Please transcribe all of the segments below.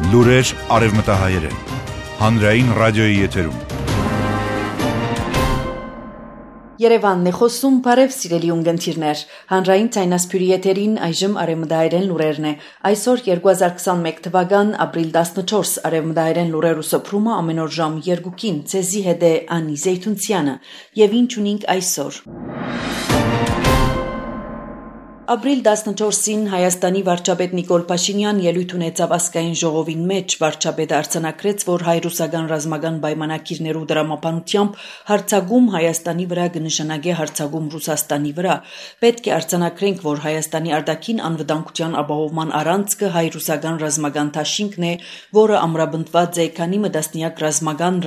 Լուրեր արևմտահայերեն, հանրային ռադիոյի եթերում։ Երևանն է խոսում, բարև սիրելի ունգընթիրներ, հանրային ցայնասպյուրի եթերին այժմ արևմտահայերեն լուրերն է, այսօր 2021 թվական ապրիլ 14 արևմտահայերեն լուրերու սփռումը ամեն օր ժամ 2-ին, ցեզի հետ է Անի Զեյթունցյանը, եւ ինչ ունենք այսօր։ Ապրիլ 14-ին Հայաստանի վարչապետ Նիկոլ Փաշինյան ելույթ ունեցավ ազգային ժողովին մեջ, վարչապետը արձանագրեց, որ հայ-ռուսական ռազմական պայմանագիրներու դրամապանությամբ հարձակում Հայաստանի վրա կնշանակի հարձակում Ռուսաստանի վրա։ Պետք է արձանագրենք, որ Հայաստանի արտաքին անվտանգության ապահովման առանցքը հայ-ռուսական ռազմական դաշինքն է, որը ամրապնդված է քանի մտասնյակ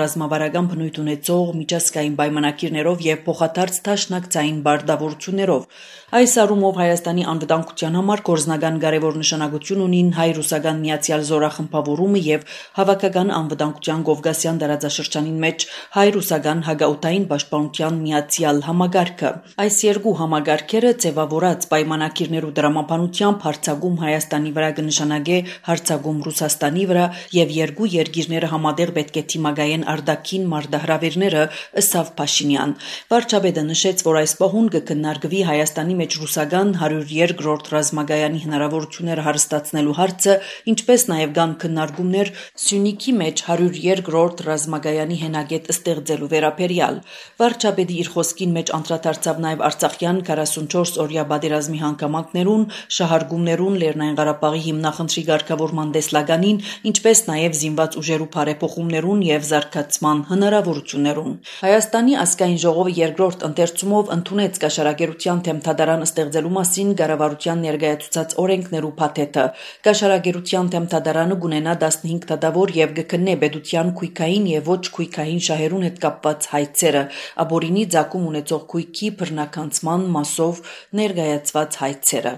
ռազմավարական բնույթ ունեցող միջազգային պայմանագիրներով եւ փոխադարձ դաշնակցային բարդավորություններով։ Այս առումով Հայաստանի անվտանգության համար գործնական կարևոր նշանակություն ունին հայ-ռուսական միացյալ զորախմբավորումը եւ հավաքական անվտանգության Կովկասյան տարածաշրջանին մեջ հայ-ռուսական հակաօդային պաշտպանության միացյալ համագարքը։ Այս երկու համագարքերը ձևավորած պայմանագիրներու դրամապանությամբ հարձակում Հայաստանի վրա կնշանակե հարձակում Ռուսաստանի վրա եւ երկու երկիրները համատեղ պետք է թիմակայեն արտաքին մարտահրավերները, ըստ Փաշինյան։ Վարչապետը նշեց, որ այս պահուն կքննարկվի Հայաստանի մեջ ռուսական 102-րդ ռազմագայանի հնարավորությունները հարստացնելու հարցը, ինչպես նաև կան քննարկումներ Սյունիքի մեջ 102-րդ ռազմագայանի հենակետ ստեղծելու վերաբերյալ։ Վարչապետի իր խոսքին մեջ անդրադարձավ նաև Արցախյան 44-օրյա պատերազմի հանգամանքներուն, շահարկումներուն, Լեռնային Ղարաբաղի հիմնախնդրի ղեկավարման տեսլականին, ինչպես նաև զինված ուժերու բարեփոխումներուն եւ զարգացման հնարավորություններուն։ Հայաստանի ազգային ժողովը երկրորդ ընթերցումով ընդունեց կաշառակերության թեմթադարան ստեղծելու մասին կառավարության ներկայացուցած օրենքներու փաթեթը։ Կաշառակերության թեմթադարանը կունենա 15 դատավոր եւ կքննի պետության քույքային եւ ոչ քույքային շահերուն հետ կապված հայցերը, ապօրինի ցակում ունեցող քույքի բռնականցման մասով ներկայացված հայցերը։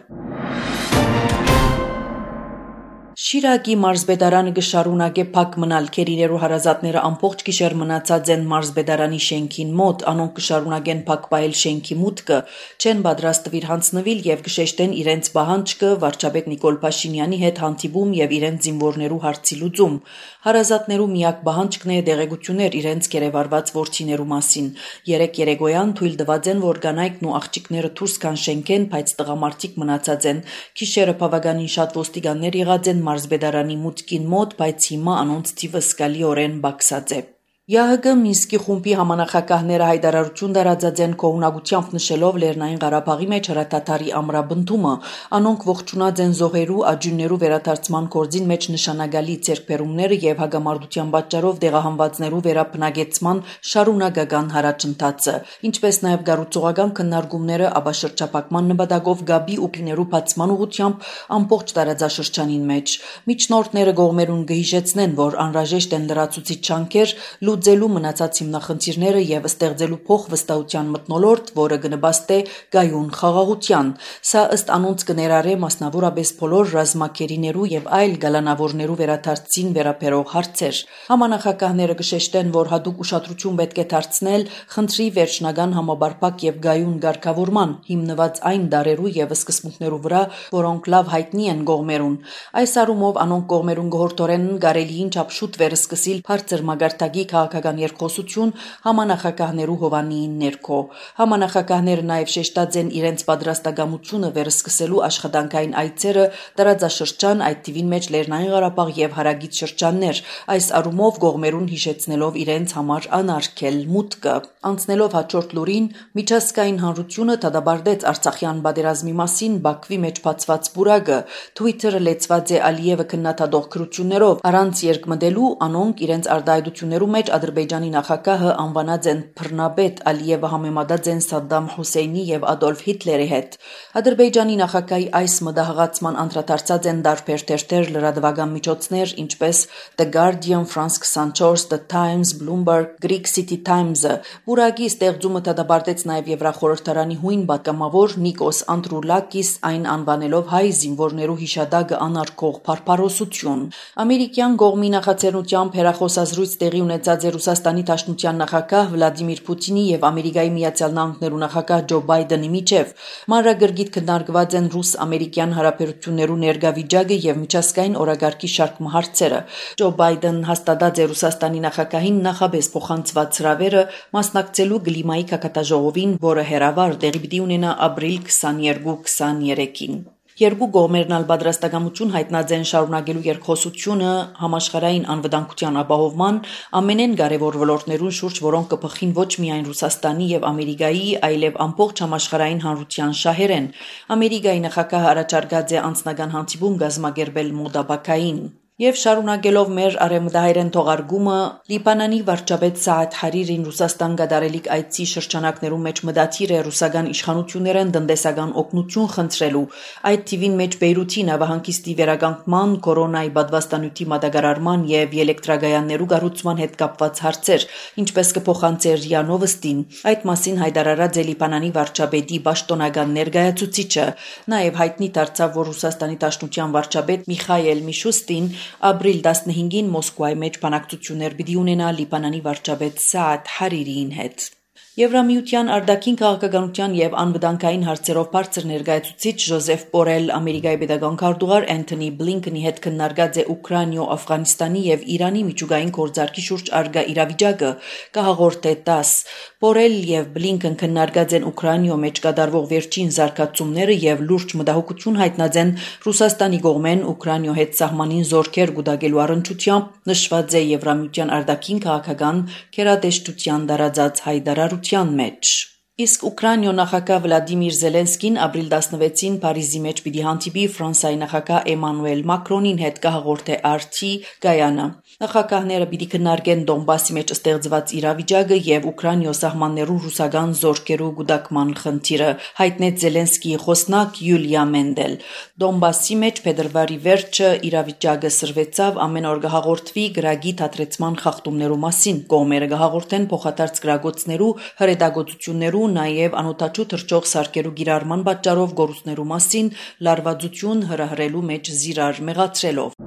Շիրակի մարզպետարանը կշարունակե փակ մնալ քերիներու հարազատները ամբողջ գիշեր մնացած են մարզպետարանի շենքին մոտ, անոնք կշարունակեն փակ պահել շենքի մուտքը, չեն պատրաստվիր հանձնվել եւ կշեշտեն իրենց պահանջը վարչապետ Նիկոլ Փաշինյանի հետ հանդիպում եւ իրենց զինվորներու հարցի լուծում։ Հարազատներու միակ պահանջն է դեղեցություններ իրենց կերևարված ворթիներու մասին։ Երեկոյան թույլ տված են, որ կանայքն ու աղջիկները դուրս կան շենքեն, բայց տղամարդիկ մնացած են։ Գիշերը բավականին շատ ոստիկաններ եղած են մարզպետարանի մուտքին մոտ, բայց հիմա անոնց թիվը զգալիորեն բարձած է։ ՀՀԿ Մինսկի խումբի համանախագահները հայտարարություն տարածած են կողմնակությամբ նշելով Լեռնային Ղարաբաղի մեջ հրադադարի ամրապնդումը, անոնք ողջունած են զոհերու, աջուններու վերադարձման գործին մեջ նշանակալի ձեռքբերումները եւ հագամարտության պատճառով դեղահանվածներու վերաբնակեցման շարունակական հարաճընթացը, ինչպես նաեւ գառուցողական քննարկումները ապաշրջապակման նպատակով գաբի ու պիներու բացման ուղղությամբ ամբողջ տարածաշրջանին մեջ։ Միջնորդները կողմերուն կհիշեցնեն, որ անհրաժեշտ են լրացուցիչ ջանքեր լուծելու մնացած հիմնախնդիրները եւ ստեղծելու փոխվստահության մթնոլորտ, որը կնպաստի գայուն խաղաղության։ Սա ըստ անոնց կներառե մասնավորապես բոլոր ռազմակերիներու եւ այլ գալանավորներու վերադարձին վերաբերող հարցեր։ Համանախագահները կշեշտեն, որ հատուկ ուշադրություն պետք է դարձնել խնդրի վերջնական համապարփակ եւ գայուն ղեկավարման, հիմնված այն դարերու եւ սկզբունքներու վրա, որոնք լավ հայտնի են կողմերուն։ Այս առումով անոնք կողմերուն գորտորեն կարելիին չափ շուտ վերսկսիլ բարձր մագարտակի քաղաքական երկխոսություն համանախագահներու հովանիին ներքո։ Համանախագահները նաև շեշտած են իրենց պատրաստակամությունը վերսկսելու աշխատանքային այցերը տարածաշրջան, այդ թիվին մեջ Լեռնային Ղարաբաղ եւ հարագից շրջաններ, այս առումով կողմերուն հիշեցնելով իրենց համար անարգել մուտքը։ Անցնելով հաջորդ լուրին, միջազգային հանրությունը դատապարտեց Արցախյան պատերազմի մասին Բաքվի մեջ բացված բուրակը։ Twitter-ը լեցված է Ալիևը քննադատող գրություններով, առանց երկմտելու անոնք իրենց արտահայտություններու մեջ Ադրբեջանի նախագահը անվանած են բռնապետ, Ալիևը համեմատած են Սադդամ Հուսեյնի եւ Ադոլֆ Հիտլերի հետ։ Ադրբեջանի նախագահի այս մտահղացման անդրադարձած են տարբեր թերթեր, լրատվական միջոցներ, ինչպես The Guardian, France 24, The Times, Bloomberg, Greek City Times-ը։ Բուրակի ստեղծումը դատապարտեց նաեւ Եվրախորհրդարանի հույն պատգամավոր Նիկոս Անդրուլակիս, այն անվանելով հայ զինվորներու հիշադակը անարգող փարփարոսություն։ Ամերիկյան կողմի նախաձեռնությամբ հերախոսազրույց տեղի ունեցած է Ռուսաստանի Դաշնության նախագահ Վլադիմիր Պուտինի եւ Ամերիկայի Միացյալ Նահանգներու նախագահ Ջո Բայդենի միջև։ Մանրագրգիռ քննարկված են ռուս-ամերիկյան հարաբերություններու ներկա վիճակը եւ միջազգային օրագարկի շարք հարցերը։ Ջո Բայդենն հաստատած է Ռուսաստանի նախագահին նախաբես փոխանցված հրավերը մասնակցելու կլիմայի քակատաժողովին, որը հերավար տեղի պիտի ունենա ապրիլ 22-23-ին։ Երկու կողմերն ալ պատրաստակամություն հայտնած են շարունակելու երկխոսությունը համաշխարհային անվտանգության ապահովման ամենեն կարևոր ոլորտներուն շուրջ, որոնք կփխին ոչ միայն Ռուսաստանի եւ Ամերիկայի, այլև ամբողջ համաշխարհային հանրության շահերեն։ Ամերիկայի նախագահը առաջարկած է անձնական հանդիպում կազմակերպել մոդաբակային։ Եվ շարունակելով մեր արևմտահայերեն թողարկումը Լիբանանի վարչապետ Սաադ Հարիրին Ռուսաստան գդարելիք այցի շրջանակներում մեջ մտադիր է ռուսական իշխանություններեն տնտեսական օգնություն խնդրելու։ Այդ թիվին մեջ Բեյրութի նավահանգիստի վերականգնման, կորոնայի պատվաստանյութի մատակարարման եւ էլեկտրագայաններու կառուցման հետ կապված հարցեր, ինչպես կփոխանցի ՌԻԱ Նովոստին։ Այդ մասին հայտարարած է Լիբանանի վարչապետի պաշտոնական ներկայացուցիչը։ Նաեւ հայտնի դարձավ, որ Ռուսաստանի Դաշնության վարչապետ Միխայել Միշուստին ապրիլ 15-ին Մոսկվայի մեջ բանակցություններ պիտի ունենա Լիբանանի վարչապետ Սաադ Հարիրիին հետ։ Եվրամիության արտաքին քաղաքականության եւ անվտանգային հարցերով բարձր ներկայացուցիչ Ժոզեֆ Բորել Ամերիկայի պետական քարտուղար Անթոնի Բլինքենի հետ քննարկած է Ուկրաինա, Աֆղանստանի եւ Իրանի միջուկային գործարքի շուրջ արգա իրավիճակը, կհաղորդե ՏԱՍ։ Բորել եւ Բլինքեն քննարկած են Ուկրաինա մեջ կատարվող վերջին զարգացումները եւ լուրջ մտահոգություն հայտնած են Ռուսաստանի կողմեն Ուկրաինա հետ սահմանին զորքեր գուտակելու առընչությամբ, նշված է Եվրամիության արտաքին քաղաքական քերատեշտության դարաձած հայտարարության մեջ։ Իսկ Ուկրաինա նախագահ Վլադիմիր Զելենսկին ապրիլ 16-ին Փարիզի մեջ պիտի հանդիպի Ֆրանսիայի նախագահ Էմանուել Մակրոնին հետ, կհաղորդե RT Գայանը։ Նախագահները պիտի քննարկեն Դոնբասի մեջ ստեղծված իրավիճակը եւ Ուկրաինա սահմաններու ռուսական զորքերու գուտակման խնդիրը, հայտնեց Զելենսկիի խոսնակ Յուլիա Մենդել։ Դոնբասի մեջ փետրվարի վերջը իրավիճակը սրվեցավ, ամեն օր կհաղորդվի գրագի թատրեցման խախտումներու մասին, կողմերը կհաղորդեն փոխադարձ գրագոցներու հրետակոծություններու, նաև անօթաչու թռչող սարքերու գիրառման պատճառով գորուսներու մասին լարվածություն հրահրելու մեջ զիրար մեղացրելով։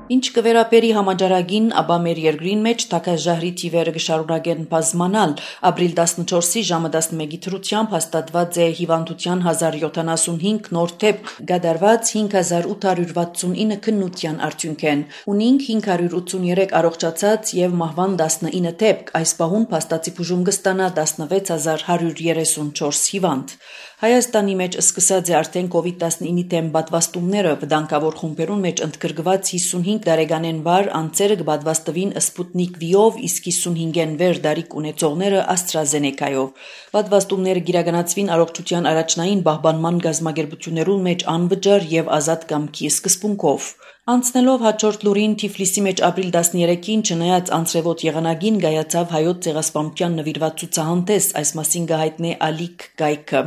Ինչ կվերապերի համաճարակին, ապա մեր երկրին մեջ թագաժահրի թիվերը կշարունակեն բազմանալ։ Ապրիլ 14-ի ժամը 11-ի թրությամբ հաստատված է հիվանդության 1075 նոր դեպք, կատարված 5869 քննության արդյունքեն։ Ունինք 583 առողջացած եւ մահվան 19 դեպք, այս պահուն փաստացի բուժում կստանա 16134 հիվանդ։ Հայաստանի մեջ սկսած է արդեն COVID-19-ի դեմ պատվաստումները, վտանգավոր խումբերուն մեջ ընդգրկված 55 տարեկանեն վար անձերը կպատվաստվին Սպուտնիկ V-ով, իսկ 55-ին վեր դարիք ունեցողները AstraZeneca-ով։ Պատվաստումները կիրականացվին առողջության առաջնային պահպանման գազམ་ագերբություններուն մեջ անվճար եւ ազատ կամքի սկզբունքով։ Անցնելով հաջորդ լուրին Թիֆլիսի մեջ ապրիլ 13-ին չնայած անցրևոտ եղանակին գայացավ հայոց ցեղասպանության նվիրված ցուցահանդես, այս մասին կհայտնի Ալիք Գայքը։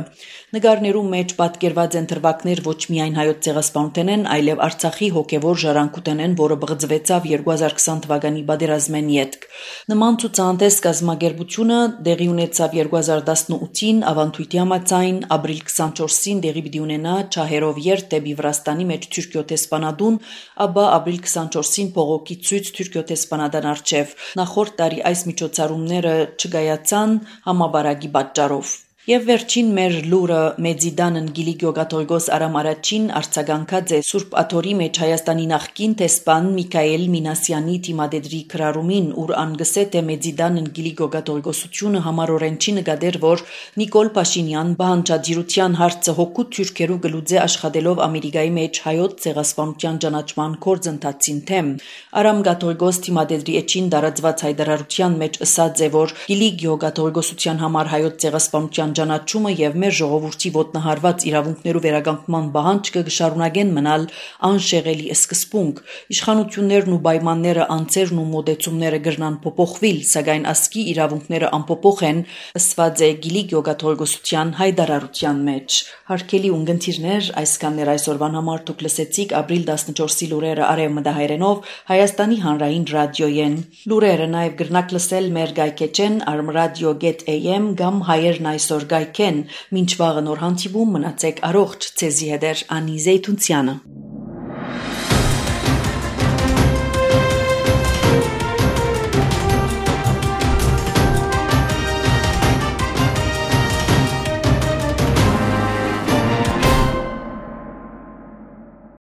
Նկարներու մեջ պատկերված են թրվակներ ոչ միայն հայոց ցեղասպանութենեն, այլև Արցախի հոգևոր ժառանգութենեն, որը բղձվեցավ 2020 թվականի պատերազմեն յետք։ Նման ցուցահանդես կազմակերպությունը տեղի ունեցավ 2018-ին ավանդույթի համաձայն, ապրիլ 24-ին տեղի պիտի ունենա Չահերով երթ դեպի Վրաստանի մեջ Թուրքիո տեսփանադուն, ապա ապրիլ 24-ին փողոքի ցույց Թուրքիո տեսփանադան արչև։ Նախորդ տարի այս միջոցառումները չգայացան համաբարակի պատճառով։ Եվ վերջին մեր լուրը Մեծիդանն Գիլիգիո Կաթողիկոս Արամ Արաչին արձագանքած է Սուրբ Աթորի մեջ Հայաստանի նախկին տեսփան Միքայել Մինասյանի թիմադեդրի քրարումին, ուր անգսե թե Մեծիդանն Գիլիգիո Կաթողիկոսությունը համառորեն չի նկատեր, որ Նիկոլ Փաշինյան բանջադիրության հարցը հոգու թուրքերու գլուձե աշխատելով Ամերիկայի մեջ հայոց ցեղասպանության ճանաչման գործընթացին թեմ։ Արամ Կաթողիկոս թիմադեդրի էջին դարածված հայտարարության մեջ ըսած է, որ Գիլիգիո Կաթողիկոսության համար հայոց ցեղասպանության ճանաչումը եւ մեր ժողովրդի ոտնահարված իրավունքներու վերականգնման պահանջը կշարունակեն մնալ անշեղելի սկզբունք։ Իշխանություններն ու պայմանները, անձերն ու մոդեցումները կրնան փոփոխվել, սակայն ասկի իրավունքները անփոփոխ են, ըսված է Գիլիգիո Կաթողիկոսության հայտարարության մեջ։ Հարգելի ունգընտիրներ, այսքաններ այսօրվան համար դուք լսեցիք ապրիլ 14-ի լուրերը արևմտահայերենով Հայաստանի հանրային ռադիոյեն։ Լուրերը նաև կրնակ լսել մեր գայքեջեն armradio.am կամ հայերն այսօր գայքեն, մինչ վաղը նոր հանդիպում մնացեք առողջ, ցեզի հետ Անի Զեյթունցյանը։